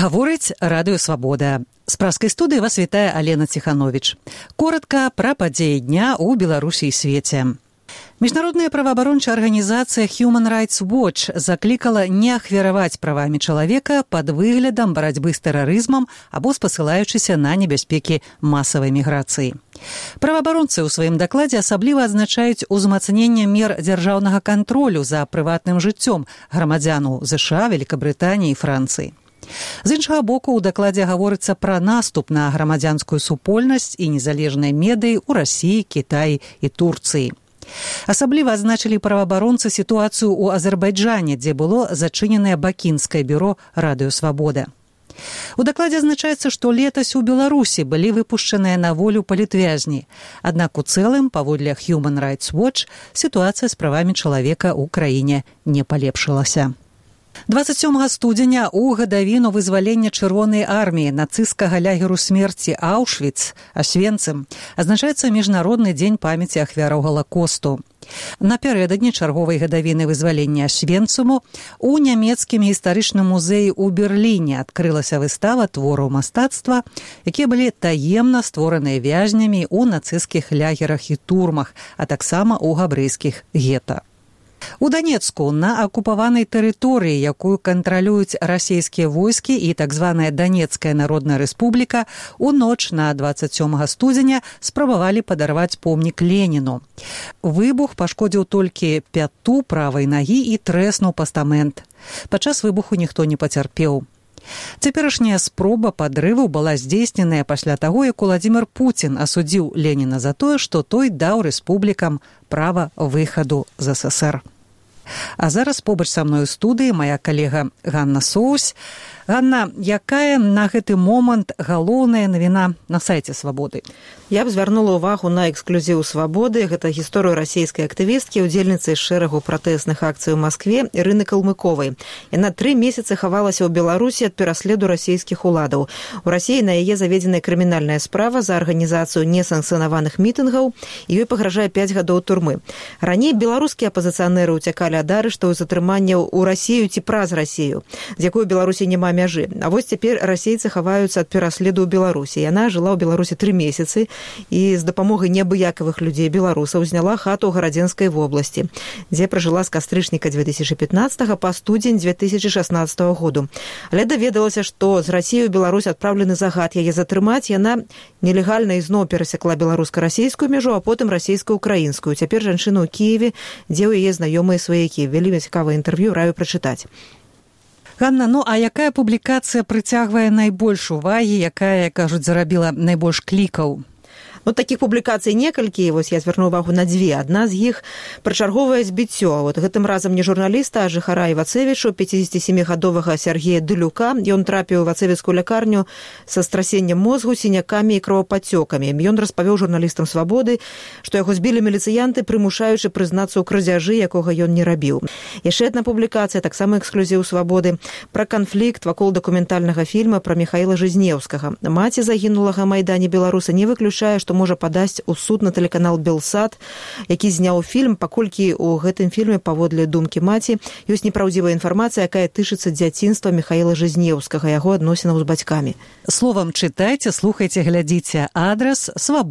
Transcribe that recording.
Гаворыць радыё «Свабода». З праскай студыі вас вітае Алена Ціхановіч. Коротка пра падзеі дня ў Беларусі і свеце. Міжнародная праваабарончая арганізацыя Human Rights Watch заклікала не ахвяраваць правамі чалавека пад выглядам барацьбы з тэрарызмам або спасылаючыся на небяспекі масавай міграцыі. Праваабаронцы ў сваім дакладзе асабліва адзначаюць узмацненне мер дзяржаўнага кантролю за прыватным жыццём грамадзянаў ЗША, Великабрытаніі і Францыі. З іншага боку, у дакладзе гаворыцца пра наступ на грамадзянскую супольнасць і незалежныя медыі ў Расіі, Кітаі і Турцыі. Асабліва адзначылі праваабаронцы сітуацыю ў Азербайджане, дзе было зачыненае бакінскае бюро «Радыё Свабода». У дакладзе азначаецца, што летась у Беларусі былі выпушчаныя на волю палітвязні. Аднак у цэлым, паводле Human Rights Watch, сітуацыя з правамі чалавека ў краіне не палепшылася. 27 студзеня у гадавіну вызвалення Чырвонай арміі нацысцкага лагеру смерці Аўшвіц, Асвенцым, азначаецца Міжнародны дзень памяці ахвяраў Галакосту. Напярэдадні чарговай гадавіны вызвалення Асвенцуму у нямецкім гістарычным музеі ў Берліне адкрылася выстава твораў мастацтва, якія былі таемна створаныя вязнямі ў нацысцкіх лагерах і турмах, а таксама ў габрэйскіх гета. У Данецку, на акупаванай тэрыторыі, якую кантралююць расійскія войскі і так званая Данецкая Народная Рэспубліка, у ноч на 27 студзеня спрабавалі падарваць помнік Леніну. Выбух пашкодзіў толькі пяту правай нагі і трэснуў пастамент. Падчас выбуху ніхто не пацярпеў. Цяперашняя спроба падрыву была здзейсненая пасля таго, як Уладзімір Пуцін асудзіў Леніна за тое, што той даў рэспублікам права выхаду з ССР. А зараз побач са мной у студыі мая калега Ганна Соусь. Ганна, якая на гэты момант галоўная навіна на сайце «Свабоды»? Я б звярнула ўвагу на эксклюзіў «Свабоды». Гэта гісторыю расійскай актывісткі, удзельніцы шэрагу пратэсных акцый у Маскве Ірыны Калмыковай. Яна 3 месяцы хавалася ў Беларусі ад пераследу расійскіх уладаў. У Расіі на яе заведзеная крымінальная справа за арганізацыю несанкцыянаваных мітынгаў, і ёй пагражае 5 гадоў турмы. Раней беларускія апазіцыянеры ўцякалі ад арыштаў і затрыманняў у Расію ці праз Расію, з якой у Беларусі няма мяжы. А вось цяпер расейцы хаваюцца ад пераследу ў Беларусі. Яна жыла ў Беларусі 3 месяцы і з дапамогай неабыякавых людзей беларусаў зняла хату ў Гарадзенскай вобласці, дзе пражыла з кастрычніка 2015 па студзень 2016 году. Але даведалася, што з Расіі ў Беларусь адпраўлены загад яе затрымаць. Яна нелегальна ізноў перасякла беларуска-расійскую мяжу, а потым расійска-украінскую. Цяпер жанчына ў Кіеве, дзе ў яе знаёмыя сваякі. Вельмі цікавае інтэрв'ю, раю прачытаць. Ганна, ну а якая публікацыя прыцягвае найбольш увагі, якая, кажуць, зарабіла найбольш клікаў? Ну, такіх публікацый некалькі, вось я звярну увагу на 2. Адна з іх пра чарговае збіццё. Вот гэтым разам не журналіста, а жыхара Івацевічу, 57-гадовага Сергея Дылюка. Ён трапіў у івацевіцкую лякарню са страсеннем мозгу, сінякамі і кровападцёкамі. Ён распавёў журналістам «Свабоды», што яго збілі міліцыянты, прымушаючы прызнацца ў крадзяжы, якога ён не рабіў. Яшчэ адна публікацыя, таксама эксклюзіў «Свабоды», пра канфлікт вакол дакументальнага фільма пра Міхаіла Жизнеўскага. Маці загінулага Майдане беларуса не выключае, што можа падасць у суд на тэлеканал «Белсат», які зняў фільм, паколькі ў гэтым фільме, паводле думкі маці, ёсць непраўдзівая інфармацыя, якая тычыцца дзяцінства Міхаіла Жизнеўскага, яго адносінаў з бацькамі. Словам, чытайце, слухайце, глядзіце. Адрас «Свабода».